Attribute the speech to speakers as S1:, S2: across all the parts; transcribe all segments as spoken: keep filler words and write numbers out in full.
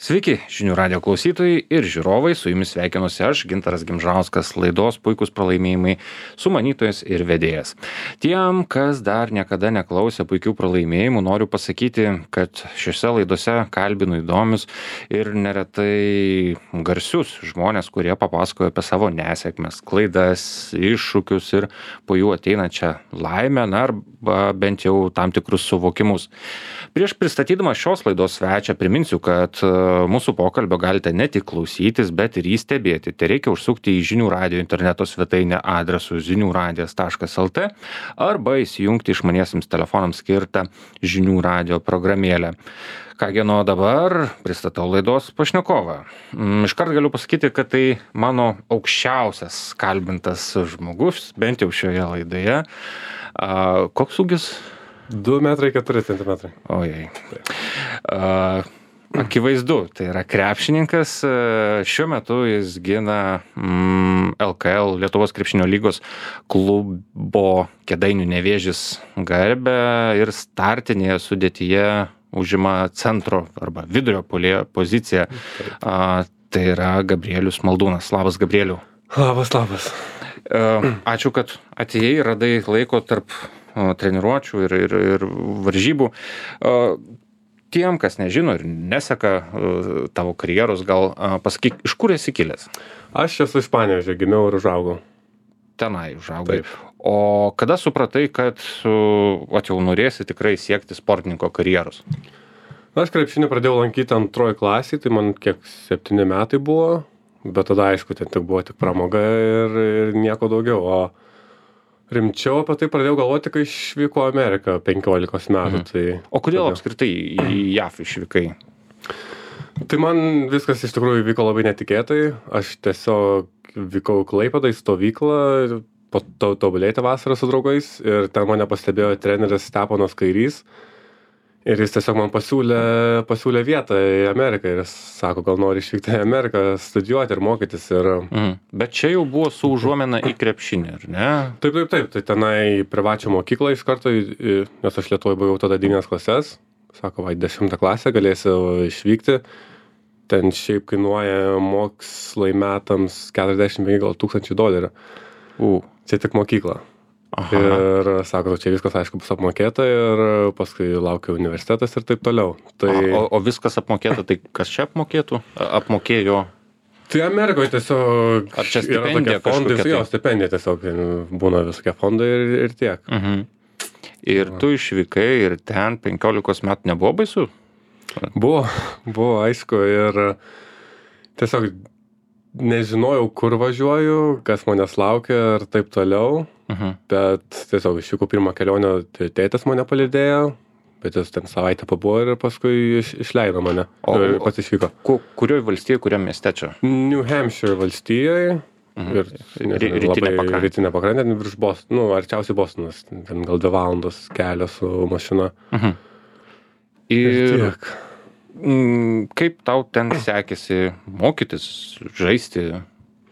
S1: Sveiki, žinių radio klausytojai ir žiūrovai, su jumis sveikinuosi aš, Gintaras Gimžauskas, laidos Puikūs pralaimėjimai, sumanytojas ir vedėjas. Tiem, kas dar niekada neklausė Puikių pralaimėjimų, noriu pasakyti, kad šiuose laidose kalbinu įdomius ir neretai garsius žmonės, kurie papasakoja apie savo nesėkmes, klaidas, iššūkius ir po jų ateinančią laimę, na arba bent jau tam tikrus suvokimus. Prieš pristatydama šios laidos svečią priminsiu, kad mūsų pokalbio galite ne tik klausytis, bet ir jį stebėti. Tai reikia užsukti į žinių radio interneto svetainę adresu zinių radijas taškas lt arba įsijungti išmaniesiems telefonams skirtą žinių radio programėlę. Kągi, nuo dabar pristatau laidos pašnekovą. Iškart galiu pasakyti, kad tai mano aukščiausias kalbintas žmogus, bent jau šioje laidoje. A, koks ūgis?
S2: du metrai keturi centimetrai.
S1: Ojei. A, Akivaizdu, tai yra krepšininkas, šiuo metu jis gina mm, L K L Lietuvos krepšinio lygos klubo Kėdainių Nevėžis garbę ir startinėje sudėtyje užima centro arba vidurio puolėjo poziciją. A, tai yra Gabrielius Maldūnas. Labas, Gabrieliau.
S2: Labas, labas.
S1: A, ačiū, kad atėjai, radai laiko tarp a, treniruočių ir, ir, ir varžybų. A, Tiem, kas nežino ir neseka uh, tavo karjeros, gal uh, pasakyk, iš kur esi kilęs?
S2: Aš esu iš Panevėžio, gimiau ir užaugau.
S1: Tenai užaugai. Taip. O kada supratai, kad uh, at jau norėsi tikrai siekti sportininko karjeros?
S2: Aš krepšinį pradėjau lankyti antroji klasė, tai man kiek septyni metai buvo, bet tada aišku, ten tik buvo tik pramoga ir, ir nieko daugiau. O rimčiau apie tai pradėjau galvoti, kai išvyko Ameriką penkiolikos metų. Mhm. Tai
S1: o kodėl
S2: tada
S1: apskritai į J A F išvykai?
S2: Tai man viskas iš tikrųjų vyko labai netikėtai. Aš tiesiog vykau į Klaipėdą į stovyklą, po to tobulėti vasarą su draugais ir ten mane pastebėjo treneris Steponas Kairys. Ir jis tiesiog man pasiūlė, pasiūlė vietą į Ameriką ir jis sako, gal nori išvykti į Ameriką studijuoti ir mokytis. Ir
S1: Mhm. Bet čia jau buvo su užuomina į krepšinį, ar ne?
S2: Taip, taip, taip. Tai tenai privačią mokyklą iš karto, į- į- nes aš Lietuvoje buvau tada devynias klases. Sako, va, į dešimtą klasę galėsiu išvykti. Ten šiaip kainuoja mokslai metams keturiasdešimt penki gal tūkstančių dolerių.
S1: U.
S2: Čia tik mokykla.
S1: Aha.
S2: Ir sako, čia viskas aišku bus apmokėta ir paskui laukia universitetas ir taip toliau. Tai,
S1: O, o viskas apmokėta, tai kas čia apmokėtų? A- Apmokėjo?
S2: tai Amerikoje tiesiog
S1: Ar čia
S2: yra
S1: stipendija
S2: tokie fondai,
S1: kažkokia tai?
S2: jo, stipendija tiesiog ten būna visokie fondai ir, ir tiek.
S1: Mhm. Ir tu išvykai ir ten penkiolikos metų nebuvo baisu?
S2: Buvo, buvo aišku ir tiesiog nežinojau, kur važiuoju, kas manęs laukia ir taip toliau,
S1: Mhm.
S2: bet tiesiog išvykau pirmą kelionę, tai tėtis mane palydėjo, bet jis ten savaitę pabuvo ir paskui iš, išleido mane.
S1: O-
S2: Ir pats išvyko.
S1: Ku, kurioj valstijoj, kuriam mieste čia?
S2: New Hampshire valstijoje.
S1: Mhm.
S2: Ir
S1: Ry-
S2: nežinau,
S1: rytinė
S2: labai
S1: pakrantė.
S2: rytinė pakrantė, ten virš Bostono, nu, arčiausiai Bostonas, ten gal dvi valandos kelio su mašina.
S1: Mhm.
S2: Ir
S1: Ir
S2: tiek.
S1: mm, kaip tau ten sekėsi mokytis, žaisti?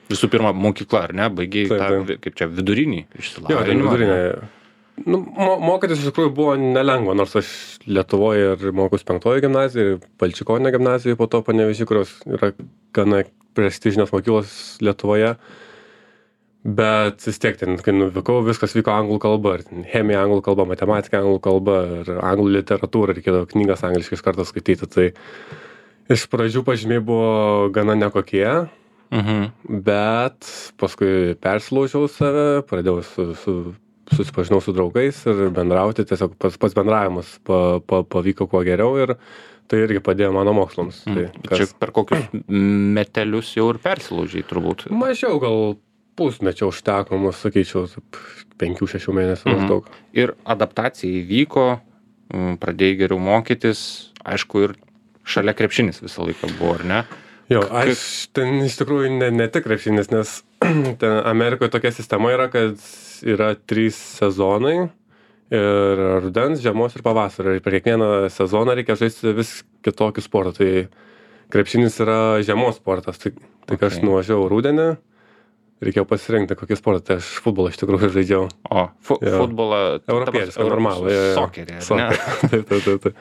S1: Visų pirma, mokykla, ar ne? Baigiai
S2: Taip,
S1: tą,
S2: taip.
S1: kaip čia, vidurinį
S2: Jo, ten
S1: išsilavinimą?
S2: vidurinė. Nu, mo, mokytis iš tikrųjų buvo nelengva, nors aš Lietuvoje ir mokus penktojo gimnazijoje, Balčikonė gimnazijoje, po to Panevėžy, kurios yra gana prestižinės mokyklos Lietuvoje. Bet vis tiek ten, kai nuvykau, viskas vyko anglų kalba. Ir ten chemija anglų kalba, matematika anglų kalba ir anglų literatūra, reikėdavo knygas angliškai iš karto skaityti. Tai iš pradžių pažymiai buvo gana nekokie,
S1: Mhm.
S2: bet paskui persilaužiau save, pradėjau su, su, susipažinau su draugais ir bendrauti, tiesiog pats, pats bendravimas pa, pa, pavyko kuo geriau ir tai irgi padėjo mano mokslams. Tai,
S1: Čia per kokius metelius jau ir persilaužiai turbūt.
S2: mažiau gal pusmečio užteko, mus sakyčiau, taip, penkių šešių mėnesių
S1: Mhm.
S2: maždaug.
S1: Ir adaptacija įvyko, mm, pradėjai geriau mokytis, aišku, ir šalia krepšinis visą laiką buvo, ar ne?
S2: Jo, aš ten iš tikrųjų ne, ne tik krepšinis, nes ten Amerikoje tokia sistema yra, kad yra trys sezonai ir rudens, žiemos ir pavasario. Ir per kiekvieną sezoną reikia žaisti vis kitokį sportą. Tai krepšinis yra žiemos sportas. Tai, tai kai aš
S1: Okay.
S2: nuvažiavau rudenį, reikėjo pasirinkti kokį sportą. Tai aš futbolą iš tikrųjų žaidžiau.
S1: O, fu
S2: Jo.
S1: futbolą...
S2: Europietišką, normalų. jo, jo.
S1: Sokerį, ar ne?
S2: Sokerį. Taip, taip, taip. taip.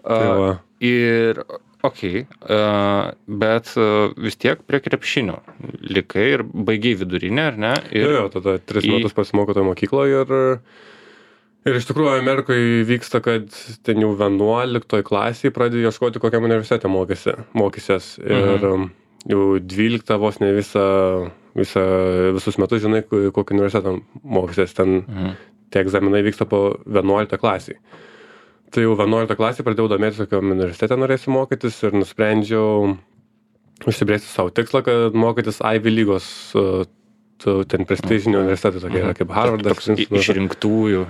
S1: A,
S2: Tai va.
S1: Ir okei, a, bet a, vis tiek prie krepšinio likai ir baigiai vidurinę, ar ne? Ir
S2: Jo, jo, tada tris
S1: į-
S2: metus pasimokau toje mokykloje ir, ir iš tikrųjų Amerikoje vyksta, kad ten jau vienuoliktoj klasėje pradedi ieškoti, kokiam universitete mokysi, mokysies. Ir um, jau dvyliktą vos ne visą, visą, visus metus žinai, ku- kokį universitetą mokysies. Ten
S1: Mhm.
S2: tie egzaminai vyksta po vienuoliktą klasėje. Tai jau vienuoliktą klasėje pradėjau domėtis, kokiam universitete norėsiu mokytis ir nusprendžiau užsibrėžti savo tikslą, kad mokytis Ivy lygos, uh, tu- ten prestižinių universitetų, tokie yra kaip Harvardas.
S1: Toks i- išrinktųjų.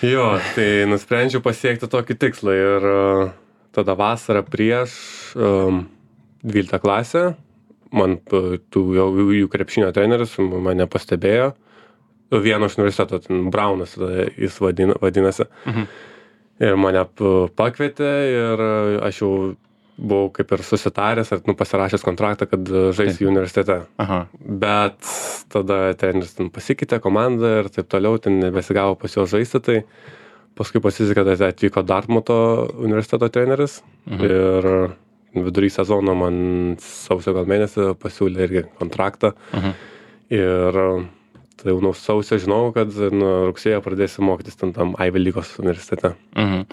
S2: Jo, tai nusprendžiau pasiekti tokį tikslą ir uh, tada vasarą prieš um, dvyliktą klasę man uh, tų jau jų krepšinio treneris mane pastebėjo. Vieno iš universiteto, ten Braunas tada jis vadina, vadinasi.
S1: Mhm.
S2: Ir mane p- pakvietė ir uh, aš jau buvau kaip ir susitaręs, ar nu, pasirašęs kontraktą, kad uh, žaisiu universitete.
S1: Aha.
S2: Bet tada treneris ten pasikeitė komandą ir taip toliau, ten nebesigavo pas jo žaisti, tai paskui pasisekė, kad atvyko Dartmuto universiteto treneris
S1: Mhm.
S2: ir vidury sezono man sausio gal mėnesį pasiūlė irgi kontraktą
S1: Mhm.
S2: ir tai jau nuo sausio žinau, kad nuo rugsėjo pradėsiu mokytis ten tam Ivy lygos universitete.
S1: Mhm.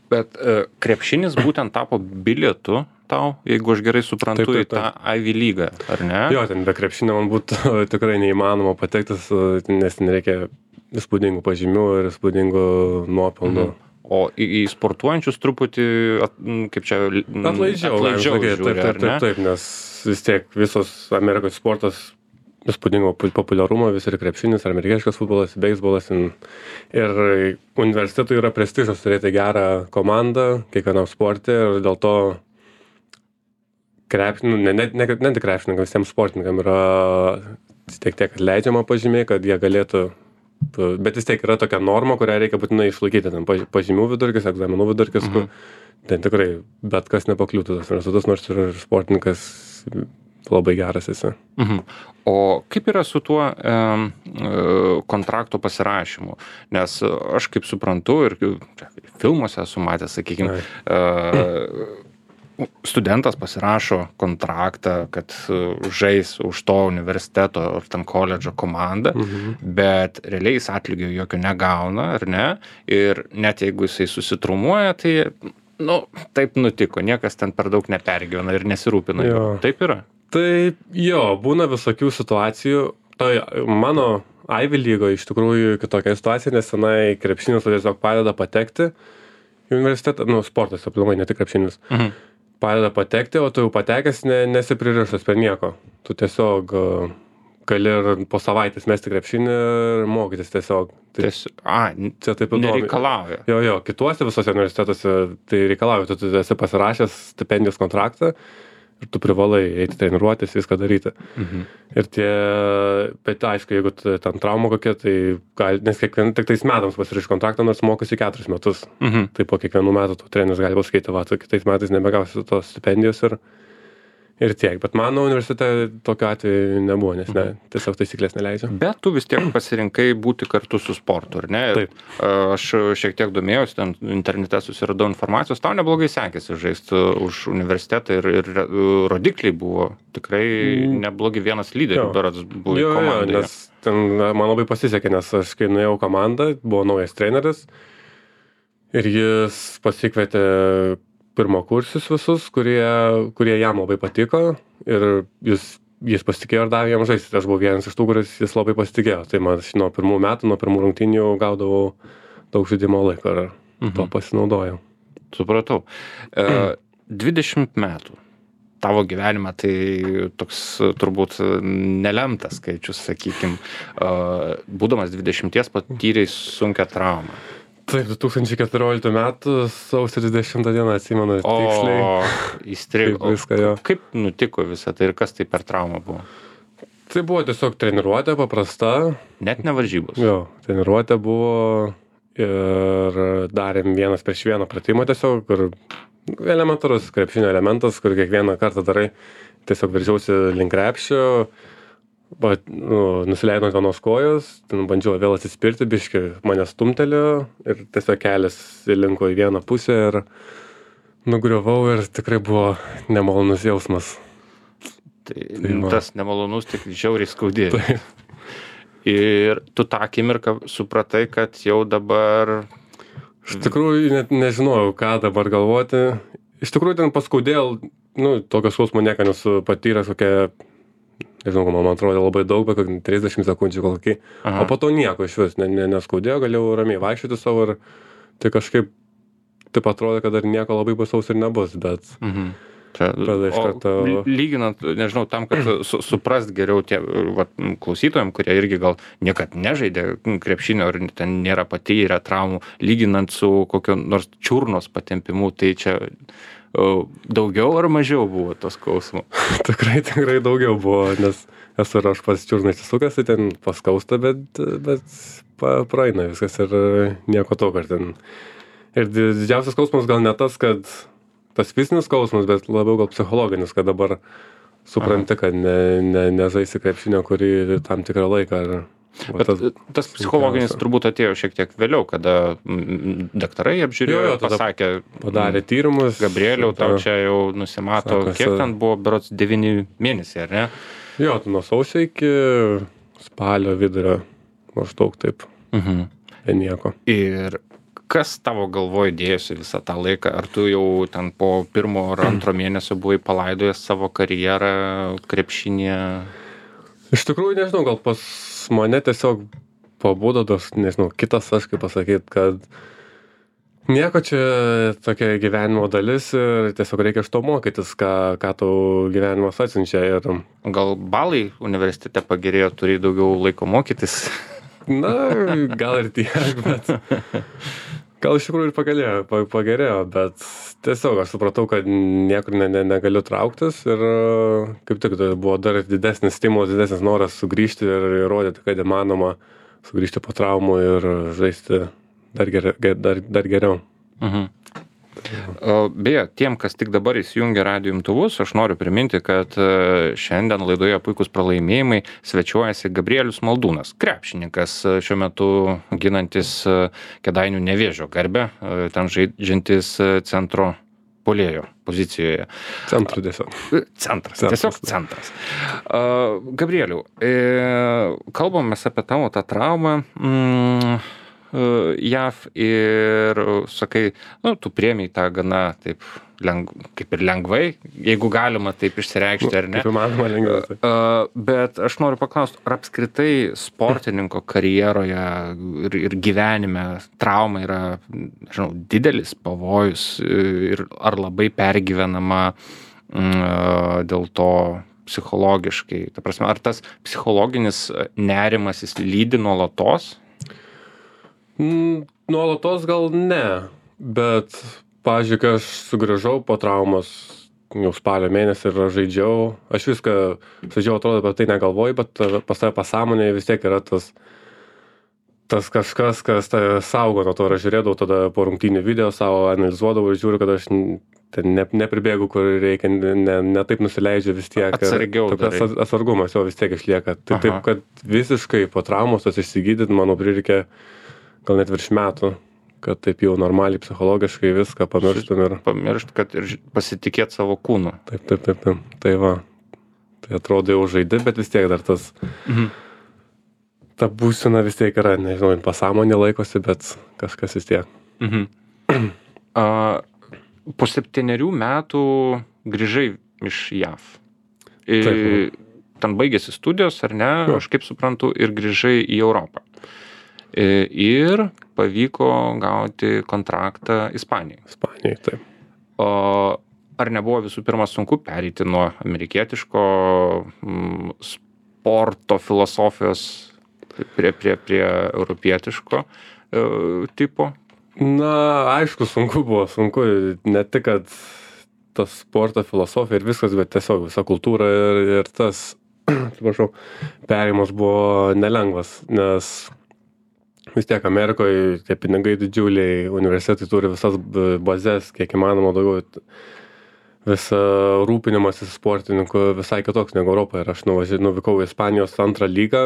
S1: Bet e, krepšinis būtent tapo bilietu tau, jeigu aš gerai suprantu,
S2: Taip, taip,
S1: į tą Ivy lygą, ar ne?
S2: Jo, ten be krepšinio man būtų tikrai neįmanoma patektis, nes ten reikia įspūdingų pažymių ir įspūdingų nuopelnų.
S1: Mhm. O į, į sportuojančius truputį, at, m, kaip čia, m,
S2: Atlaidžiau,
S1: atlaidžiau
S2: galim sakyt,
S1: žiūri,
S2: taip, taip,
S1: ar ne?
S2: taip, taip, nes vis tiek visos Amerikos sportas įspūdingo pu- populiarumo, vis ir krepšinis, ar amerikietiškas futbolas, beisbolas. in- Ir universitetui yra prestižas turėti gerą komandą kiekvienam sporte ir dėl to krepšininkam, ne, ne, ne, ne tik krepšininkam, visiems sportininkam yra tiek tiek atleidžiama pažymiai, kad jie galėtų, bet vis tiek yra tokia norma, kurią reikia būtinai išlaikyti, ten paž- pažymių vidurkis, egzaminų vidurkis, kur ten tikrai bet kas nepakliūtų tas universitetas, nors ir sportininkas labai geras esi.
S1: Mhm. O kaip yra su tuo em, e, kontrakto pasirašymu? Nes e, aš kaip suprantu ir čia, filmuose esu matęs, sakykime, studentas pasirašo kontraktą, kad e, žais už to universiteto ar ten koledžo komandą,
S2: Mhm.
S1: bet realiai jis atlygio jokio negauna, ar ne? Ir net jeigu jisai susitraumuoja, tai, nu, taip nutiko, niekas ten per daug nepergyvena ir nesirūpina.
S2: Jo.
S1: juo. Taip yra?
S2: Taip, jo, būna visokių situacijų. Tai mano Ivy lygo iš tikrųjų kitokia situacija, nes tenai krepšinis tiesiog padeda patekti į universitetą, nu, sportas, aplamai, ne tik krepšinis.
S1: Mhm.
S2: Padeda patekti, o tu jau patekęs ne, nesi pririštas prie nieko. Tu tiesiog uh, gali ir po savaitės mesti krepšinį ir mokytis tiesiog. Tai
S1: Ties, a,
S2: čia taip įdomu.
S1: nereikalauja.
S2: Jo, jo, kituose visose universitetuose tai reikalauja, tu, tu esi pasirašęs stipendijos kontraktą ir tu privalai eiti treniruotis, viską daryti.
S1: Mhm.
S2: Ir tie, bet aišku, jeigu tu- ten trauma kokia, tai gali, nes kiekvien, tik tais metams pasirašai kontraktą, nors mokosi keturis metus.
S1: Mhm.
S2: Tai po kiekvienų metų tu treneris gali pasakyti, va, tu kitais metais nebegausi tos stipendijos ir, ir tiek. Bet mano universitete tokio atveju nebuvo, nes ne, tiesiog taisyklės neleidžia.
S1: Bet tu vis tiek pasirinkai būti kartu su sportu, ar ne? Ir,
S2: Taip.
S1: a, aš šiek tiek domėjausi, ten internete susiradau informacijos, tau neblogai sekėsi žaisti už universitetą ir, ir e, rodikliai buvo tikrai
S2: Mm.
S1: neblogi, vienas lyderių
S2: Jo.
S1: berods buvo
S2: Jo, jo,
S1: komandoje.
S2: nes ten man labai pasisekė, nes aš kai nuėjau komandą, buvo naujas treneris ir jis pasikvietė pirmakursius visus, kurie, kurie jam labai patiko ir jis, jis pasitikėjo ir davė jam žaisti. Aš buvau vienas iš tų, kuris jis labai pasitikėjo. Tai man nuo pirmų metų, nuo pirmų rungtynių jau gaudavau daug žaidimo laiko ir
S1: Mhm.
S2: to pasinaudojau.
S1: Supratau. E, dvidešimt metų. Tavo gyvenime tai toks e, turbūt e, nelemtas skaičius, sakykim. E, būdamas dvidešimties patyrei sunkią traumą.
S2: Taip, du tūkstančiai keturioliktų metų sausio dvidešimtą dieną atsimenu tiksliai.
S1: O, įstrigo.
S2: Kaip viską, jo.
S1: Kaip nutiko visą tai ir kas tai per traumą buvo?
S2: Tai buvo tiesiog treniruotė paprasta.
S1: Net ne varžybos.
S2: Jo, treniruotė buvo ir darėm vienas prieš vieną pratimą tiesiog, kur elementarus krepšinio elementas, kur kiekvieną kartą darai, tiesiog veržiausi link krepšio, va, nu, nusileidau ant vienos kojos, ten bandžiau vėl atsispirti, biški mane stumtelėjo ir tiesiog kelias įlinko į vieną pusę ir nugriuvau ir tikrai buvo nemalonus jausmas.
S1: Tai, tai tas nemalonus tik žiauriai skaudėjo. Ir tu tą akimirką supratai, kad jau dabar...
S2: Iš tikrųjų, net nežinojau, ką dabar galvoti. Iš tikrųjų, ten paskaudėl, nu, tokio skausmo nieko nesu patyręs, kokia, nežinau, man atrodo labai daug, bet trisdešimt sekundžių kokį. Aha. O po to nieko iš vis, ne, ne, neskaudėjo, galėjau ramiai vaikščioti savo ir tai kažkaip taip atrodo, kad dar nieko labai baisaus ir nebus, bet... Mhm.
S1: Čia, karto... Lyginant, nežinau, tam, kad su, suprast geriau tie vat, klausytojams, kurie irgi gal niekad nežaidė krepšinio ir ten nėra patyrę traumų, lyginant su kokio nors čiurnos patempimu, tai čia uh, daugiau ar mažiau buvo tos skausmo?
S2: tikrai, tikrai daugiau buvo, nes esu ir aš pats čiurną įsisukęs, tai ten paskausta, bet, bet pa, praeina viskas ir nieko to, kad ten. Ir didžiausias skausmas gal ne tas, kad tas fizinis skausmas, bet labiau gal psichologinis, kad dabar supranti, kad ne, ne, nežaisi krepšinio, kurį tam tikrą laiką. Ar,
S1: bet tas, tas psichologinis sunkiausia. Turbūt atėjo šiek tiek vėliau, kada daktarai apžiūrėjo, jo, jo, pasakė,
S2: padarė tyrimus.
S1: Gabrieliau, tau čia jau nusimato, sako, kiek ten buvo, berods devyni mėnesiai, ar ne?
S2: Jo, nuo sausio iki spalio vidurio, maždaug taip. Mhm. Ir nieko.
S1: Ir kas tavo galvoj dėjosi visą tą laiką? Ar tu jau ten po pirmo ar antro mėnesio buvai palaidojęs savo karjerą krepšinėje?
S2: Iš tikrųjų, nežinau, gal pas mane tiesiog pabudo tas, nežinau, kitas aš, kaip pasakyti, kad nieko čia tokia gyvenimo dalis ir tiesiog reikia iš to mokytis, ką, ką tau gyvenimas atsiunčia. Ir...
S1: Gal balai universitete pagerėjo, turi daugiau laiko mokytis?
S2: Na, gal ir tiek, bet gal iš tikrųjų ir pagerėjo, pagerėjo, bet tiesiog aš supratau, kad niekur ne, ne, negaliu trauktis ir kaip tik tai buvo dar didesnis stimulas, didesnis noras sugrįžti ir įrodyti, kad įmanoma sugrįžti po traumų ir žaisti dar, ger, dar, dar geriau. Mhm.
S1: Beje, tiem, kas tik dabar įsijungia radijo imtuvus, aš noriu priminti, kad šiandien laidoje Puikūs pralaimėjimai svečiuojasi Gabrielius Maldūnas, krepšininkas šiuo metu ginantis Kėdainių Nevėžio garbę, ten žaidžiantis centro puolėjo pozicijoje.
S2: Centru tiesiog.
S1: Centras, centras tiesiog centras. Gabrieliau, kalbamės apie tavo tą traumą. Mm, J A V ir sakai, nu, tu priėmei tą gana taip, leng, kaip ir lengvai, jeigu galima taip išsireikšti, ar ne?
S2: Kaip įmanoma lengvai.
S1: Uh, bet aš noriu paklausti, ar apskritai sportininko karjeroje ir, ir gyvenime trauma yra, žinau, didelis pavojus ir ar labai pergyvenama uh, dėl to psichologiškai? Ta prasme, ar tas psichologinis nerimas jis lydi nuolatos?
S2: Nuolatos gal ne, bet, pavyzdžiui, kai aš sugrįžau po traumos jau spalio mėnesį ir žaidžiau, aš viską žaidžiau, atrodo, apie tai negalvoju, bet pas tave pasąmonėje vis tiek yra tas, tas kažkas, kas tave saugo nuo to, ir aš žiūrėdavau tada po rungtynių video savo, analizuodavau ir žiūriu, kad aš ten ne, nepribėgu, kur reikia, ne, ne taip nusileidžiu vis tiek.
S1: Atsargiau darai.
S2: Tokias atsargumas jo vis tiek išlieka. Tai taip, kad visiškai po traumos tas išsigydyti, manau, prireikė gal net virš metų, kad taip jau normaliai psichologiškai viską pamirštum ir...
S1: Pamiršt, kad ir pasitikėt savo kūnu.
S2: Taip, taip, taip, taip. Tai va, tai atrodo jau žaidi, bet vis tiek dar tas... Mhm. Ta būsena vis tiek yra, nežinau, pasąmonė laikosi, bet kažkas vis tiek.
S1: Mhm. A, po septynerių metų grįžai iš J A V. I, taip. Ten baigėsi studijos, ar ne? Jo. Aš kaip suprantu, ir grįžai į Europą. Ir pavyko gauti kontraktą Ispanijai.
S2: Ispanijai, taip.
S1: O ar nebuvo visų pirma sunku pereiti nuo amerikietiško m, sporto filosofijos prie, prie, prie europietiško e, tipo?
S2: Na, aišku, sunku buvo, sunku. Ne tik, kad tas sporto filosofija ir viskas, bet tiesiog visa kultūra ir, ir tas, atsiprašau, perėjimas buvo nelengvas, nes vis tiek Amerikoje tie pinigai didžiuliai, universitetai turi visas bazės, kiek įmanoma daugiau, visą rūpinimasis sportininkų visai kitoks negu Europoje. Ir aš nuvažiavau, nuvykau į Ispanijos antrą lygą,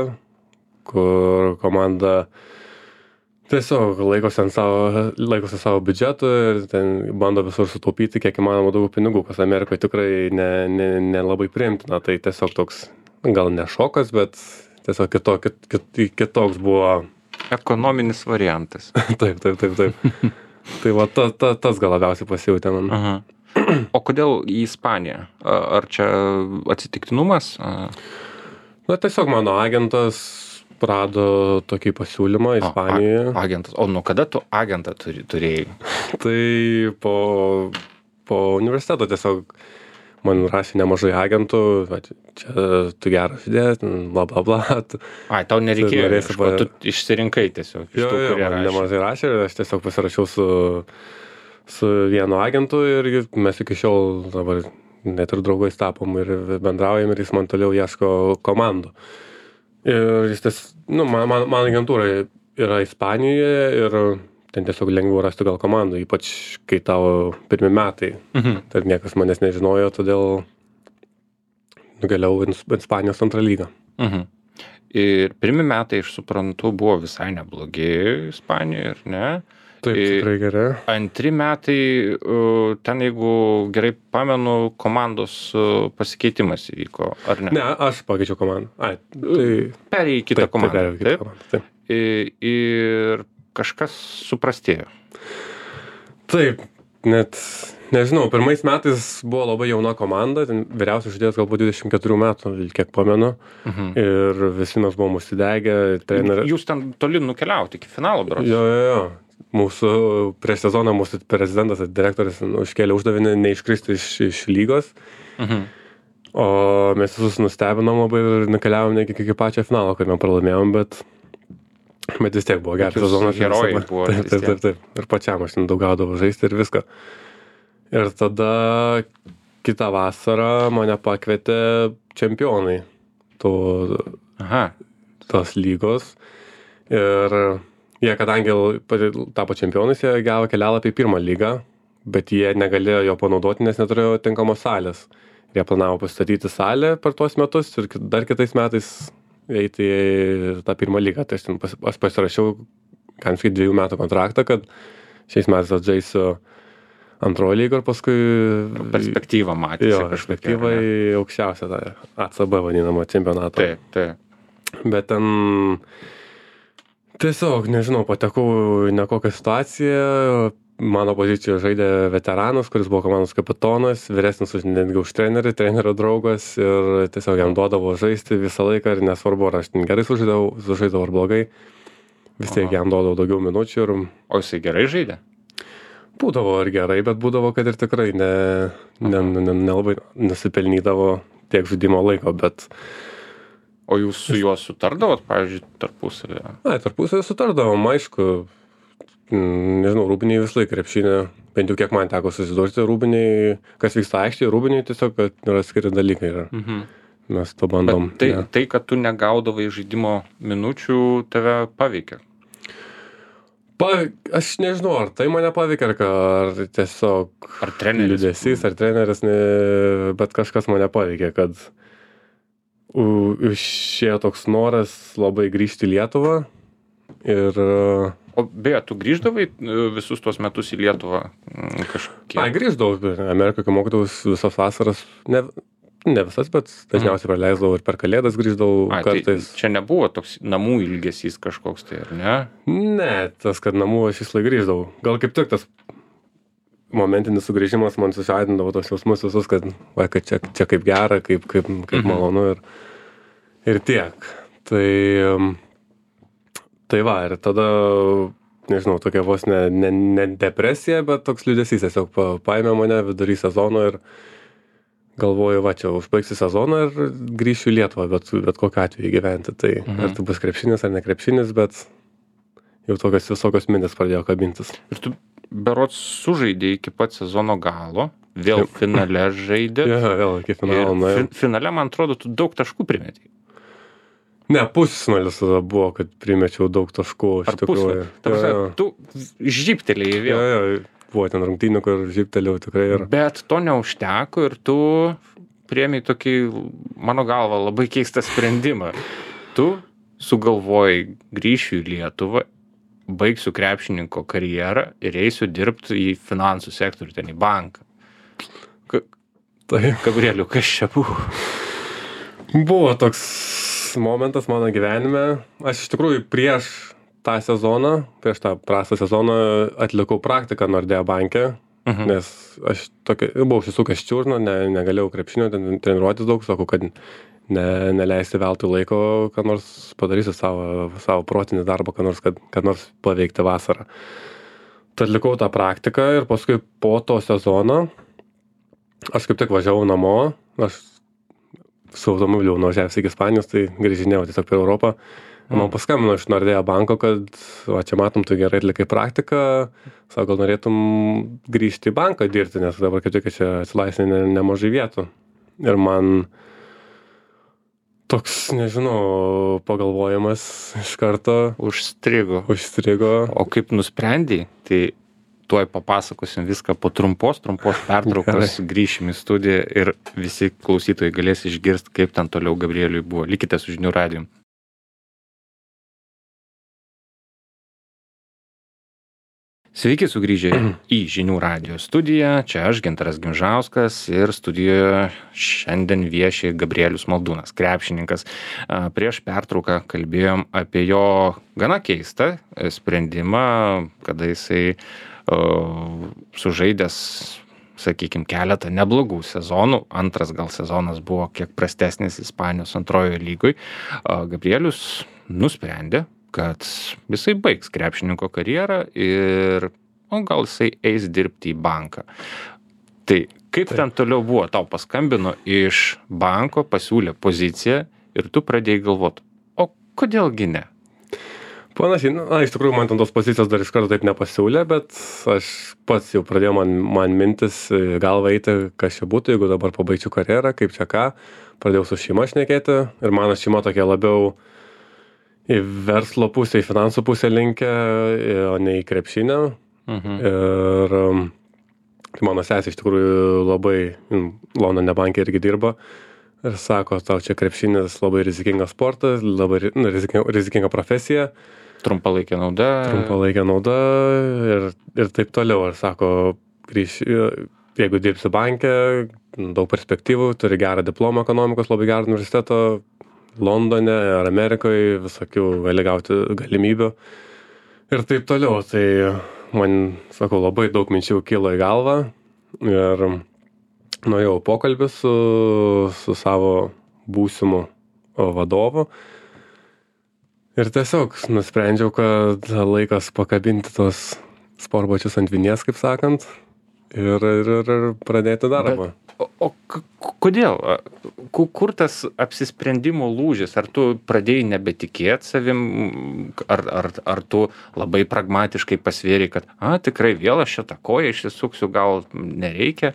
S2: kur komanda Tiesiog laikosi ant savo, laikosi savo biudžetų ir ten bando visur sutaupyti kiek įmanoma daugiau pinigų, kas Amerikoje tikrai nelabai ne, ne, ne priimtina. Tai tiesiog toks, gal ne šokas, bet tiesiog kito, kit, kit, kitoks buvo.
S1: Ekonominis variantas.
S2: taip, taip, taip, taip. Tai va, ta, ta, tas gal labiausiai pasijautė man.
S1: Aha. O kodėl į Ispaniją? Ar čia atsitiktinumas?
S2: Na, tiesiog mano agentas rado tokį pasiūlymą Ispanijoje.
S1: O, a, agentas. O nuo kada tu agentą turi, turėjai?
S2: Tai po, po universiteto tiesiog man rašė nemažai agentų, va, čia tu geras idėjas, bla bla bla.
S1: Ai, tau nereikėjo, ieško, pa... tu išsirinkai tiesiog.
S2: Jo, tų, jo, man rašė. Nemažai rašė ir aš tiesiog pasirašiau su, su vienu agentu ir mes iki šiol dabar net ir draugais tapom ir bendraujam ir jis man toliau ieško komandų. Ir jis ties, nu, man, man, man agentūra yra Ispanijoje ir ten tiesiog lengviau rasti gal komandų, ypač kai tavo pirmi metai. Mhm. Tai niekas manęs nežinojo, todėl nugaliau į Ispanijos antrą lygą.
S1: Mhm. Ir pirmi metai, aš suprantu, buvo visai neblogi Ispanijoje, ir ne?
S2: Taip, tikrai gerai.
S1: Antri metai, ten jeigu gerai pamenu, komandos pasikeitimas įvyko, ar ne?
S2: Ne, aš pakeičiau komandą. Ai, tai...
S1: Perėjai kitą
S2: taip,
S1: komandą.
S2: Taip, perėjau kitą komandą, taip.
S1: Ir, ir kažkas suprastėjo.
S2: Taip, net, nežinau, pirmais metais buvo labai jauna komanda, ten vyriausias žaidėjas galbūt dvidešimt keturių metų, kiek pamenu, mhm. ir visi mes buvom užsidegę. Trener...
S1: Jūs ten toli nukeliauti iki finalo, berods?
S2: Jo, jo, jo. Mūsų prieš sezoną mūsų prezidentas ir direktorius užkėlė uždavinį neiškristi iš, iš lygos. Mhm. O mes visus nustebinom labai ir nukeliavom iki, iki pačio finalo, kad mes pralaimėjom, bet, bet vis tiek buvo geras sezonas.
S1: Herojai buvo.
S2: Taip, taip, taip, taip. Ir pačiam aš daug gaudavau žaisti ir viską. Ir tada kitą vasarą mane pakvietė čempionai to, tos lygos. Ir jie, kadangi tapo čempionais, jie gavo kelialapį į pirmą lygą, bet jie negalėjo jo panaudoti, nes neturėjo tinkamos salės. Jie planavo pastatyti salę per tuos metus ir dar kitais metais eiti į tą pirmą lygą. Tai aš, pas, aš pasirašiau kanskiai dviejų metų kontraktą, kad šiais metais atžaisiu antrojo lygą ir paskui...
S1: Perspektyvą matyti.
S2: Jo, perspektyvą į aukščiausią tą A C B vadinamą čempionatą.
S1: Taip, taip.
S2: Bet ten... Tiesiog, nežinau, patekau į nekokią situaciją, mano pozicijoje žaidė veteranas, kuris buvo komandos kapitonas, vyresnis už netgi už trenerį, trenerio draugas ir tiesiog jam duodavo žaisti visą laiką ir nesvarbu, ar aš gerai sužaidavau, sužaidavau ar blogai, vis tiek jam duodavau daugiau minučių. Ir...
S1: O jisai gerai žaidė?
S2: Būdavo ir gerai, bet būdavo, kad ir tikrai ne, ne, ne, nelabai nusipelnydavo tiek žaidimo laiko, bet...
S1: O jūs su juo sutardavot, pavyzdžiui, tarpusavėje?
S2: Na, tarpusavėje sutardavom, aišku, nežinau, rūbiniai vis laik krepšinė, bent jau kiek man teko susidurti, rūbiniai, kas vyksta aikštėje, rūbiniai tiesiog yra skiri dalykai. Yra. Mhm. Mes to bandom.
S1: Bet tai, ja. tai, kad tu negaudavai žaidimo minučių, tave paveikia?
S2: Pa, aš nežinau, ar tai mane paveikia, ar, ar tiesiog...
S1: Ar treneris?
S2: Liūdesys, ar treneris, ne, bet kažkas mane paveikia, kad... Išėjo toks noras labai grįžti į Lietuvą ir...
S1: O beje, tu grįždavai visus tuos metus į Lietuvą kažkiek?
S2: A, grįždavau, Amerikoje, kai mokydavus visas vasaras, ne, ne visas, bet dažniausiai praleisdavau ir per Kalėdas grįždavau
S1: A,
S2: kartais.
S1: Tai čia nebuvo toks namų ilgesys kažkoks tai, ar ne?
S2: Ne, tas, kad namų aš vis laik grįždavau. Gal kaip tik tas momentinis sugrįžimas man susiaidindavo tos jausmus visus, kad, va, kad čia, čia kaip gera, kaip, kaip, kaip mhm. malonu ir, ir tiek. Tai, tai va, ir tada, nežinau, tokia vos ne, ne, ne depresija, bet toks liūdesys tiesiog pa, paėmė mane vidury sezono ir galvoju, va, čia užbaigsiu sezoną ir grįšiu į Lietuvą, bet, bet kokiu atveju gyventi. Tai mhm. ar tai bus krepšinis ar ne krepšinis, bet jau tokios visokios mintis pradėjo kabintis.
S1: Ir tu berods sužaidė iki pat sezono galo, vėl finale žaidė.
S2: Ja, vėl iki finalo.
S1: Fi, finale, man atrodo, tu daug taškų primetei.
S2: Ne, pusfinalis tada buvo, kad primečiau daug taškų.
S1: Ar pusfinalis? Ja, ja. Tu žyptelėjai vėl.
S2: Ja, ja, buvo ten rungtynių, kur žyptelėjau tikrai. Ir...
S1: Bet to neužteko ir tu priėmei tokį, mano galva, labai keistą sprendimą. Tu sugalvojai grįšiu į Lietuvą, baigsiu krepšininko karjerą ir eisiu dirbti į finansų sektorių, ten į banką. Ka-
S2: Tai
S1: Gabrieliu, kas čia buvo?
S2: buvo toks momentas mano gyvenime. Aš iš tikrųjų prieš tą sezoną, prieš tą prastą sezoną atlikau praktiką Nordea banke,
S1: Mhm.
S2: nes aš tokia, buvau užsisukęs čiurną, ne, negalėjau krepšinio ten treniruotis daug, sakau, kad ne, neleisti veltui laiko, kad nors padarysiu savo, savo protinį darbą, kad nors, kad, kad nors paveikti vasarą. Tai atlikau tą praktiką ir paskui po to sezono aš kaip tik važiavau namo, aš su automobiliu nuvažiavęs iki Ispanijos, tai grįžinėjau tiesiog per Europą. Man
S1: Mm.
S2: paskambino iš Nordea banko, kad va, čia matom, tu gerai atlikai praktiką, sako, gal norėtum grįžti į banką dirbti, nes dabar kaip tik čia atsilaisvė ne, nemažai vietų. Ir man toks, nežinau, pagalvojimas iš karto
S1: Užstrigo.
S2: užstrigo.
S1: O kaip nusprendei, tai tuoj papasakosim viską po trumpos, trumpos pertraukos, grįšim į studiją ir visi klausytojai galės išgirsti, kaip ten toliau Gabrieliui buvo. Likite su Žinių radiju. Sveiki sugrįžę į Žinių radijo studiją. Čia aš, Gintaras Gimžauskas, ir studijoje šiandien vieši Gabrielius Maldūnas, krepšininkas. A, Prieš pertrauką kalbėjom apie jo gana keistą sprendimą, kada jisai o, sužaidęs, sakykime, keletą neblogų sezonų. Antras gal sezonas buvo kiek prastesnis Ispanijos antrojoje lygoj. A, Gabrielius nusprendė, kad jisai baigs krepšininko karjerą ir o, gal jisai eis dirbti į banką. Tai kaip ten toliau buvo? Tau paskambino iš banko, pasiūlė poziciją ir tu pradėjai galvoti, o kodėlgi ne?
S2: Panašiai, na, iš tikrųjų man ten tos pozicijos dar iš karto taip nepasiūlė, bet aš pats jau pradėjau man, man mintis į galvą eiti, kas čia būtų, jeigu dabar pabaigčiau karjerą, kaip čia ką. Pradėjau su šeima šnekėti ir mano šeima tokia labiau į verslo pusę, į finansų pusę linkę, o ne į krepšinę.
S1: Mhm.
S2: Ir um, tai mano sesė iš tikrųjų labai mm, Londone banke irgi dirba. Ir sako, tau čia krepšinis labai rizikingas sportas, labai ri- nu, rizikinga, rizikinga profesija,
S1: Trumpalaikė nauda.
S2: trumpalaikė nauda ir, ir taip toliau. Ir sako, grįž, jeigu dirbsi banke, daug perspektyvų, turi gerą diplomą ekonomikos, labai gerą universiteto, Londone ar Amerikoje, visokių gali gauti galimybių ir taip toliau. Tai man, sakau, labai daug minčių kilo į galvą ir nuėjau pokalbį su, su savo būsimu vadovu ir tiesiog nusprendžiau, kad laikas pakabinti tos sportbačius ant vinies, kaip sakant, ir, ir, ir pradėti darbą.
S1: O, o k- kodėl? Ku- Kur tas apsisprendimo lūžis? Ar tu pradėjai nebetikėti savim, ar, ar, ar tu labai pragmatiškai pasvėrei, kad a, tikrai vėl aš šitą koją išsisuksiu, gal nereikia?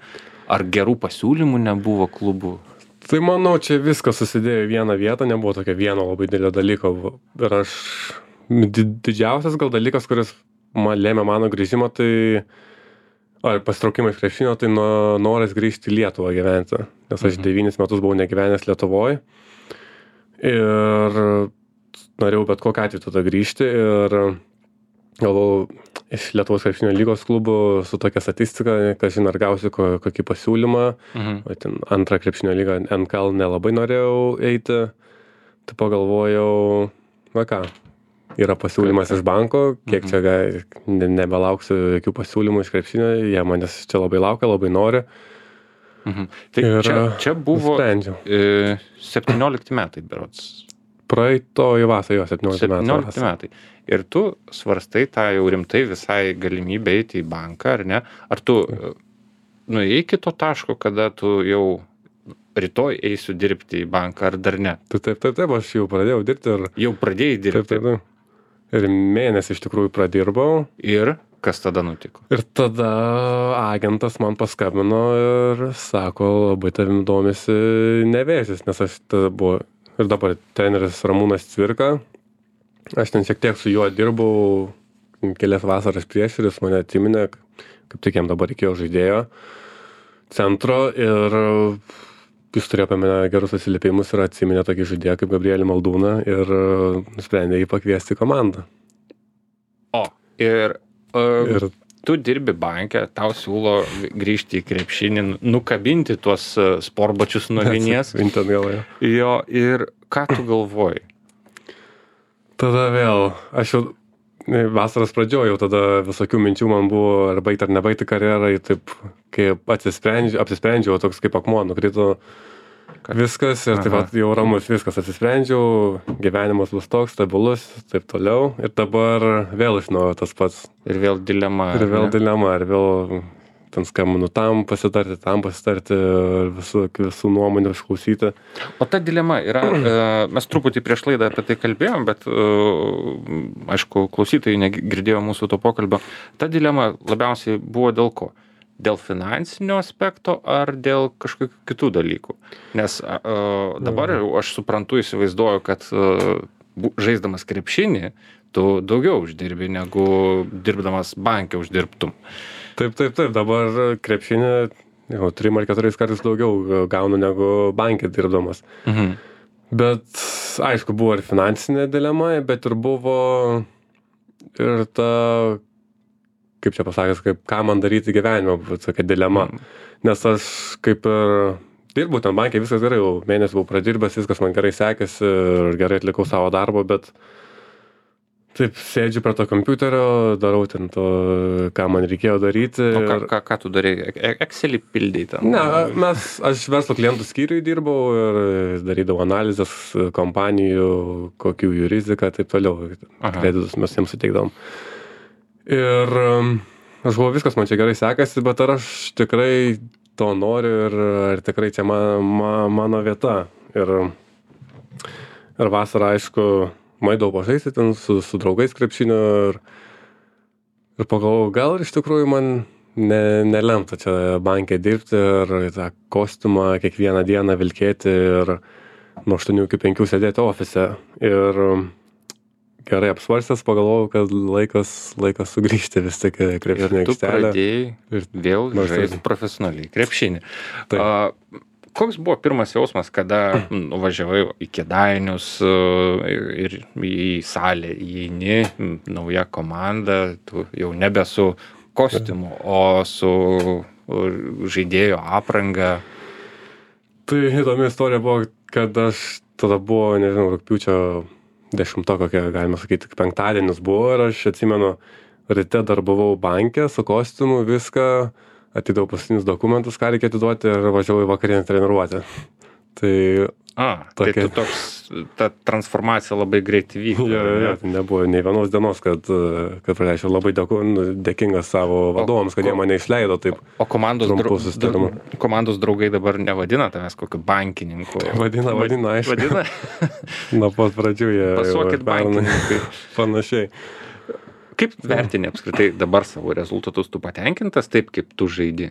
S1: Ar gerų pasiūlymų nebuvo klubų?
S2: Tai manau, čia viskas susidėjo į vieną vietą, nebuvo tokio vieno labai didelio dalyko. Ir aš, di- didžiausias gal dalykas, kuris man lėmė mano grįžimą, tai ar pasitraukimą iš krepšinio, tai no, noras grįžti į Lietuvą gyventi. Nes aš
S1: Mhm.
S2: devynis metus buvau negyvenęs Lietuvoje. Ir norėjau bet kokiu atveju tada grįžti. Ir galvojau, iš Lietuvos krepšinio lygos klubų su tokia statistika, kad žinai, ar gausiu ko, kokį pasiūlymą.
S1: Mhm.
S2: O ten antrą krepšinio lygą N K L nelabai norėjau eiti. Tai pagalvojau, va ką, yra pasiūlymas iš banko, kiek
S1: Mhm.
S2: čia ga- ne, nebelauksiu jokių pasiūlymų iš krepšinio, jie manęs čia labai laukia, labai nori.
S1: Mhm. Tai
S2: Ir
S1: čia, čia buvo
S2: nusprendžiau.
S1: e, septyniolikti metai, berods.
S2: Praeito į vasarą, jo, septyniolikti metų.
S1: septyniolikti
S2: vasarą.
S1: metai. Ir tu svarstai tą jau rimtai visai galimybę eiti į banką, ar ne? Ar tu e, nuėjai iki to taško, kada tu jau rytoj eisiu dirbti į banką, ar dar ne?
S2: Tai taip, taip, taip, aš jau pradėjau dirbti ir
S1: Jau pradėjai
S2: taip,
S1: dirbti.
S2: taip, taip. Ir mėnesį iš tikrųjų pradirbau.
S1: Ir kas tada nutiko?
S2: Ir tada agentas man paskambino ir sako, labai tavim domisi Nevėžis, nes aš tada buvo ir dabar treneris Ramūnas Cvirka. Aš ten šiek tiek su juo dirbau kelias vasaras prieš ir jis mane atsiminė, kaip tik jam dabar reikėjo žaidėjo centro ir jis turėjo apie mane gerus atsiliepimus ir atsiminė tokį žaidėją kaip Gabrielį Maldūną ir nusprendė jį pakviesti į komandą.
S1: O, Ir, uh,
S2: Ir
S1: tu dirbi banke, tau siūlo grįžti į krepšinį, nukabinti tuos uh, sportbačius nuo vinies.
S2: Vinti atgal, jo.
S1: Jo, ir ką tu galvoji?
S2: Tada vėl, aš jau vasaros pradžioje jau tada visokių minčių man buvo, ar baigti ar nebaigti karjerą, taip kaip atsisprendžiau, apsisprendžiau, toks kaip akmuo nukrito viskas ir taip pat jau ramus viskas atsisprendžiau, gyvenimas bus toks stabilus, taip toliau ir dabar vėl iš naujo tas pats.
S1: Ir vėl dilema.
S2: Ir vėl dilema, ir vėl ten skambinu tam pasitarti, tam pasitarti, visų, visų nuomonių išklausyti.
S1: O ta dilema yra, mes truputį prieš laidą apie tai kalbėjom, bet aišku, klausytojai negirdėjo mūsų to pokalbio. Ta dilema labiausiai buvo dėl ko? Dėl finansinio aspekto ar dėl kažkokių kitų dalykų? Nes dabar aš suprantu, įsivaizduoju, kad žaisdamas krepšinį, tu daugiau uždirbi, negu dirbdamas banke uždirbtum.
S2: Taip, taip, taip, dabar krepšinį jau trim ar keturiais kartais daugiau gaunu negu bankė dirbdamas.
S1: Mhm.
S2: Bet aišku, buvo ir finansinė dilema, bet ir buvo ir ta, kaip čia pasakęs, kaip ką man daryti gyvenime, tokia dilema. Mhm. Nes aš kaip ir dirbu ten bankė, viskas gerai, jau mėnesį buvau pradirbęs, viskas man gerai sekėsi ir gerai atlikau savo darbą, bet taip, sėdžiu prie to kompiuterio, darau ten to, ką man reikėjo daryti.
S1: O ką, ką, ką tu darai? Excelį pildai ten?
S2: Ne, mes, aš verslo klientų skyriui dirbau ir darydavau analizės kompanijų, kokių jų rizika, taip toliau. Kreditus mes jiems suteikdavom. Ir aš galvoju, viskas man čia gerai sekasi, bet ar aš tikrai to noriu ir ar tikrai čia ma, ma, mano vieta. Ir, ir vasarą, aišku, maidau pažaisti ten su, su draugais krepšinio ir, ir pagalvojau, gal iš tikrųjų man ne, nelemta čia bankė dirbti ir tą kostiumą kiekvieną dieną vilkėti ir nuo aštuonių iki penkių sėdėti ofise. Ir gerai apsvarstęs pagalvojau, kad laikas, laikas sugrįžti vis tik krepšinio aikštelę.
S1: Ir tu pradėjai ir vėl žaisti profesionaliai krepšinį. Uh, Koks buvo pirmas jausmas, kada nuvažiavai į Kėdainius ir į salę įeini, nauja komanda, tu jau nebe su kostiumu, o su žaidėjo apranga?
S2: Tai įdomi istorija buvo, kad aš tada buvo, nežinau, rugpjūčio dešimto, kokia, galima sakyti, penktadienis buvo ir aš atsimenu, ryte dar buvau banke su kostiumu, viską, atidavau paskutinius dokumentus, ką reikia atiduoti ir važiavau į vakarinę treniruotę. Tai,
S1: A, tokia... tai tu toks, ta transformacija labai greitai vyko.
S2: Ja, ja, tai nebuvo nei vienos dienos, kad, kad praleičiau labai dėku, dėkingas savo vadovams, kad o, jie mane išleido taip.
S1: O komandos, dra, komandos draugai dabar nevadina tavęs kokiu bankininku?
S2: Vadina, vadina, aišku.
S1: Vadina?
S2: Nuo pat pradžių jie...
S1: Pasuokit bankininkai.
S2: Panašiai.
S1: Kaip vertini apskritai dabar savo rezultatus, tu patenkintas taip, kaip tu žaidi?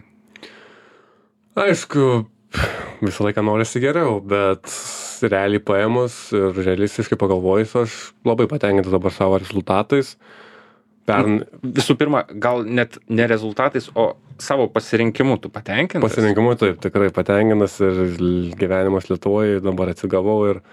S2: Aišku, visą laiką norisi geriau, bet realiai paėmus ir realistiškai pagalvojus, aš labai patenkintas dabar savo rezultatais. Pern...
S1: Visų pirma, gal net ne rezultatais, o savo pasirinkimu tu patenkintas?
S2: Pasirinkimu taip, tikrai patenkintas ir gyvenimas Lietuvoje dabar atsigavau ir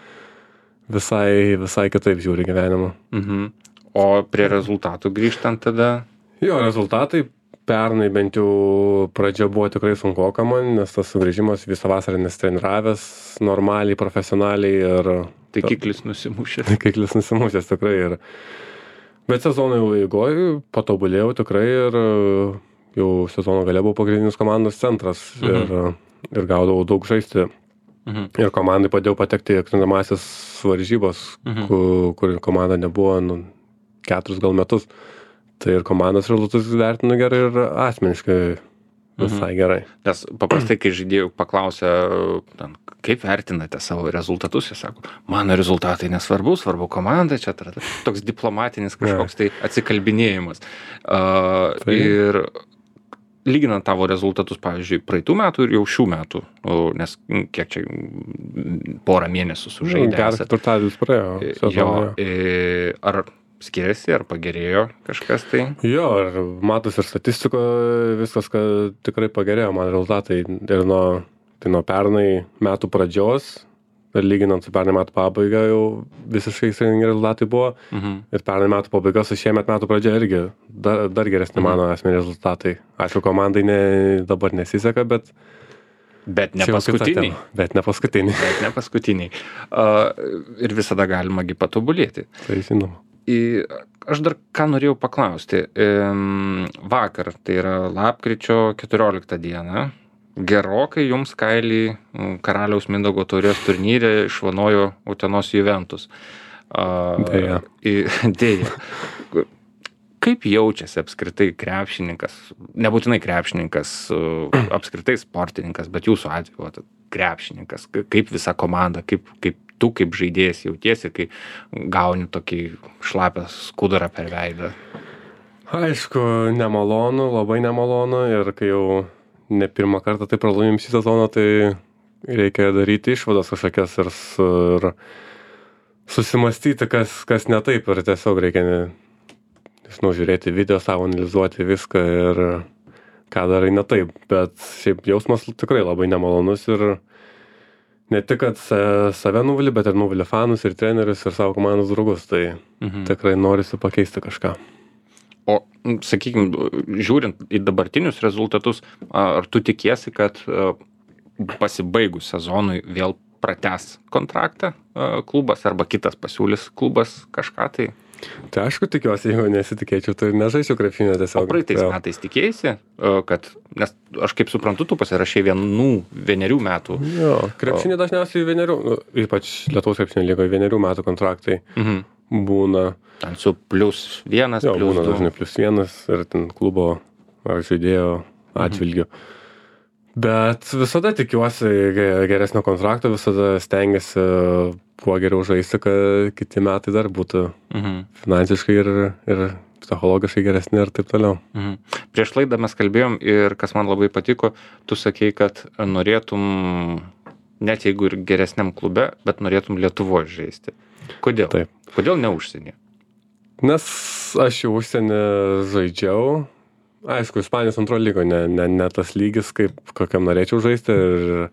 S2: visai, visai kitaip žiūri gyvenimą.
S1: Mhm. O prie rezultatų grįžtant tada?
S2: Jo, rezultatai pernai bent jau pradžia buvo tikrai sunkoka man, nes tas sugrįžimas visą vasarą nestreniravęs normaliai, profesionaliai ir...
S1: Taikiklis nusimušęs.
S2: Taikiklis nusimušęs tikrai ir... Bet sezono jau eigoj patobulėjau tikrai ir jau sezono gale buvau pagrindinis komandos centras mhm. ir, ir gaudavau daug žaisti. Mhm. Ir komandai padėjau patekti į atkrintamąsias varžybas, mhm. kur, kur komanda nebuvo nu, keturis gal metus. Tai ir komandos rezultatus vertinu gerai ir asmeniškai visai gerai.
S1: Nes paprastai, kai žaidėjų paklausia, kaip vertinate savo rezultatus, jie sako, mano rezultatai nesvarbu, svarbu komanda, čia toks diplomatinis kažkoks tai atsikalbinėjimas. Uh, tai. Ir lyginant tavo rezultatus, pavyzdžiui, praeitų metų ir jau šių metų, nes kiek čia porą mėnesių sužaidė.
S2: Geras turtadienis praėjo.
S1: Jo, ar skiriasi, ar pagerėjo kažkas tai?
S2: Jo, ir matos ir statistiko viskas, kad tikrai pagerėjo man rezultatai ir nuo, tai nuo pernai metų pradžios, ir lyginant su pernai metų pabaiga jau visiškai sėkmingi rezultatai buvo.
S1: Mhm.
S2: Ir pernai metų pabaiga su šiemet metų pradžia irgi dar, dar geresni mano asmeniai rezultatai. Aišku, komandai ne, dabar nesiseka, bet...
S1: Bet ne
S2: čia jau kita
S1: paskutiniai.
S2: tema. Bet ne paskutiniai.
S1: Bet ne paskutiniai. Uh, ir visada galima gi patobulėti.
S2: Tai žinoma.
S1: Į, aš dar ką norėjau paklausti. Ehm, vakar, tai yra lapkričio keturioliktą dieną, gerokai jums kailį mm, Karaliaus Mindaugo taurės turnyre išvanojo Utenos Juventus. Uh,
S2: Deja.
S1: į- Deja. Kaip jaučiasi apskritai krepšininkas, nebūtinai krepšininkas, uh, apskritai sportininkas, bet jūsų atveju vat, krepšininkas, k- kaip visa komanda, kaip, kaip tu kaip žaidėjas jautiesi, kai gauni tokį šlapę skudurą per veidą?
S2: Aišku, nemalonu, labai nemalonu ir kai jau ne pirmą kartą tai pralaimim šį sezoną, tai reikia daryti išvadas kažkokias ir, su, ir susimastyti, kas, kas ne taip ir tiesiog reikia, ne, nežinau, žiūrėti video savo, analizuoti viską ir ką darai ne taip, bet šiaip jausmas tikrai labai nemalonus ir ne tik, kad sa- save nuvilį, bet ir nuvilį fanus ir trenerius ir savo komandos draugus, tai
S1: Mhm.
S2: tikrai norisi pakeisti kažką.
S1: O, sakykime, žiūrint į dabartinius rezultatus, ar tu tikiesi, kad a, pasibaigus sezonui vėl pratęs kontraktą a, klubas arba kitas pasiūlys klubas kažką tai?
S2: Tai aišku, tikiuosi, jeigu nesitikėčiau, tai nežaisiu krepšinio
S1: O
S2: tiesiog.
S1: praeitais
S2: Jo.
S1: metais tikėjasi, a, kad, nes aš kaip suprantu, tu pasirašai vienų, vienerių metų.
S2: Jo, krepšinį dažniausiai vienerių, nu, ypač Lietuvos krepšinio lygoje vienerių metų kontraktai
S1: Mhm.
S2: būna,
S1: Ten su plius vienas,
S2: jo,
S1: plius
S2: būna
S1: du.
S2: dažnai plus vienas ir ten klubo ar žaidėjo atžvilgiu. Bet visada tikiuosi ge- geresnio kontrakto, visada stengiasi kuo geriau žaisti, kad kiti metai dar būtų
S1: Mhm.
S2: finansiškai ir, ir psichologiškai geresni ir taip toliau.
S1: Mhm. Prieš laidą mes kalbėjom ir kas man labai patiko, tu sakei, kad norėtum, net jeigu ir geresniam klube, bet norėtum Lietuvoje žaisti. Kodėl?
S2: Taip.
S1: Kodėl ne užsienį?
S2: Nes aš jau užsienį žaidžiau. Aišku, Ispanijos antro lygo, ne, ne, ne tas lygis, kaip kokiam norėčiau žaisti. Ir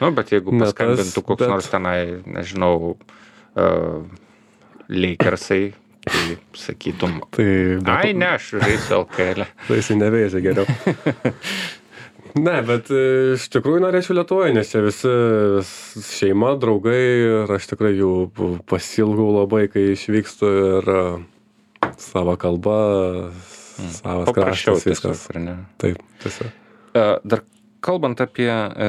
S1: Nu, bet jeigu
S2: Ne tas,
S1: paskambintų koks
S2: bet-
S1: nors tenai, nežinau, uh, Lakersai, tai sakytum,
S2: tai...
S1: ai ne, aš žaisiu L K L.
S2: Tai jisai neveižia geriau. Ne, bet e, iš tikrųjų norėčiau Lietuvoje, nes čia visi vis šeima, draugai ir aš tikrai jų pasilgau labai, kai išvykstu ir e, savo kalba, savas
S1: Paprasčiau
S2: kraštas, viskas.
S1: tiesiog, ar ne?
S2: Taip, tiesiog.
S1: E, Dar kalbant apie e,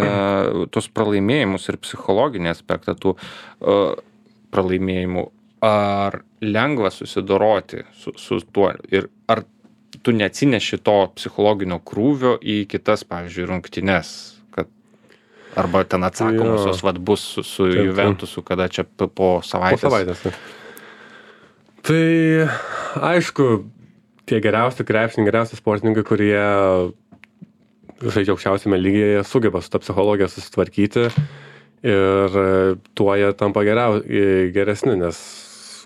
S1: tos pralaimėjimus ir psichologinį aspektą tų e, pralaimėjimų, ar lengva susidoroti su, su tuo ir ar tu neatsineši to psichologinio krūvio į kitas, pavyzdžiui, rungtynes, kad arba ten atsakomosios
S2: Jo.
S1: vat bus su, su
S2: Taip, taip.
S1: Juventusu, kada čia p- po
S2: Po
S1: savaitės.
S2: savaitės. taip. Tai aišku, tie geriausi krepšininkai, geriausi sportininkai, kurie žaidžia aukščiausiame lygyje, jie sugeba su tą psichologiją susitvarkyti ir e, tuo jie tampa geriau, e, geresni, nes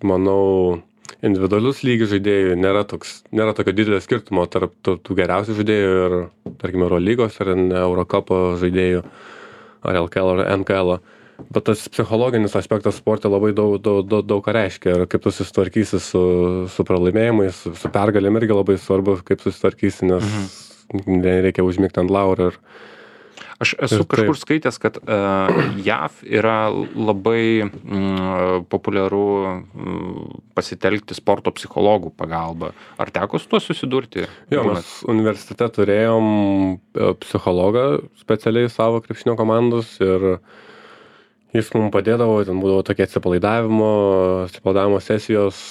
S2: manau, individualius lygių žaidėjų nėra, toks, nėra tokio didelio skirtumo tarp tų, tų geriausių žaidėjų ir, tarkime, Eurolygos ar Eurocupo žaidėjų ar L K L ar N K L. Bet tas psichologinis aspektas sporte labai daug, daug, daug, daug ką reiškia. Ir kaip tu susitvarkysi su, su pralaimėjimais, su, su pergalėm irgi labai svarbu, kaip susitvarkysi, nes mhm. nereikia užmigti ant laurų. Ir
S1: Aš esu
S2: Ir
S1: kažkur
S2: taip.
S1: skaitęs, kad uh, J A V yra labai mm, populiaru mm, pasitelkti sporto psichologų pagalbą. Ar teko su tuo susidurti?
S2: jo,
S1: Būnat-
S2: mes universitete turėjom e, psichologą specialiai savo krepšinio komandos ir jis mums padėdavo, ten būdavo tokie atsipalaidavimo, atsipalaidavimo sesijos,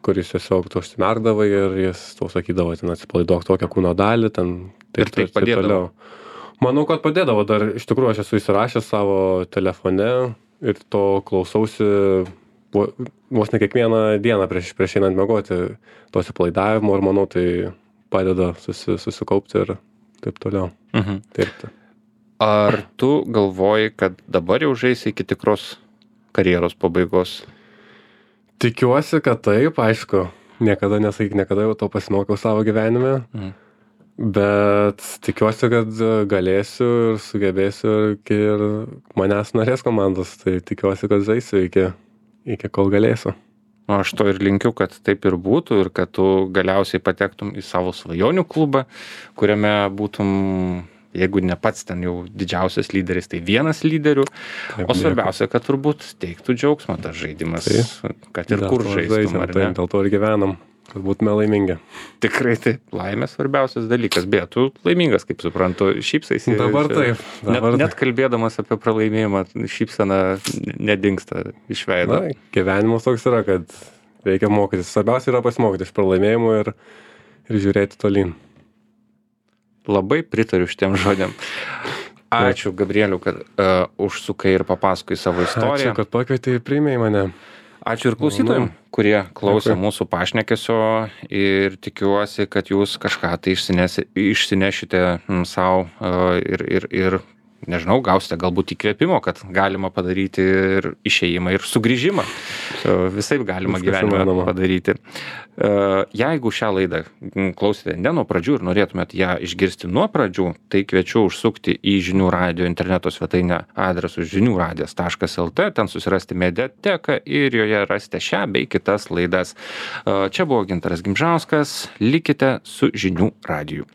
S2: kuris tiesiog tu užsimerkdavai ir jis tau sakydavo, ten atsipalaiduok tokią kūno dalį, ten
S1: Ir tai padėdavo?
S2: Manau, kad padėdavo, dar iš tikrųjų aš esu įsirašęs savo telefone ir to klausausi vo- vos ne kiekvieną dieną prieš, prieš einant miegoti to atsipalaidavimo ir manau, tai padeda susi, susikaupti ir taip toliau
S1: Mhm.
S2: dirbti.
S1: Ar tu galvoji, kad dabar jau žaisi iki tikros karjeros pabaigos?
S2: Tikiuosi, kad taip, aišku, niekada nesakyk, niekada jau to pasimokiau savo gyvenime.
S1: Mhm.
S2: Bet tikiuosi, kad galėsiu ir sugebėsiu ir, ir manęs norės komandos, tai tikiuosi, kad žaisiu iki, iki kol galėsiu.
S1: O aš to ir linkiu, kad taip ir būtų ir kad tu galiausiai patektum į savo svajonių klubą, kuriame būtum, jeigu ne pats ten jau didžiausias lyderis, tai vienas lyderių. Taip, o svarbiausia, kad turbūt teiktų džiaugsmą tas žaidimas, taip, kad ir kur žaistum, ar ne?
S2: Taip, dėl to ir gyvenam, kad būtume laimingi.
S1: Tikrai taip, laimė svarbiausias dalykas, bet tu laimingas, kaip suprantu, šypsaisi.
S2: Dabar taip. Dabar
S1: net, net kalbėdamas apie pralaimėjimą, šypsena nedingsta iš veido.
S2: Na, gyvenimas toks yra, kad reikia mokytis. Svarbiausia yra pasimokyti iš pralaimėjimų ir, ir žiūrėti tolyn.
S1: Labai pritariu šitiem žodėm. Ačiū, Gabrieliu, kad uh, užsukai ir papasakai savo istoriją.
S2: Ačiū, kad pakvietei ir priėmėjai mane.
S1: Ačiū ir klausytojams, kurie klausė mūsų pašnekesio ir tikiuosi, kad jūs kažką tai išsinešite savo ir, ir, ir, nežinau, gausite galbūt įkvėpimo, kad galima padaryti ir išėjimą, ir sugrįžimą. Visaip galima gyvenime padaryti. Jeigu šią laidą klausėte ne nuo pradžių ir norėtumėt ją išgirsti nuo pradžių, tai kviečiu užsukti į Žinių radijo interneto svetainę adresu žinių radijas taškas lt, ten susirasti mediateką ir joje rasite šią bei kitas laidas. Čia buvo Gintaras Gimžauskas, likite su Žinių radiju.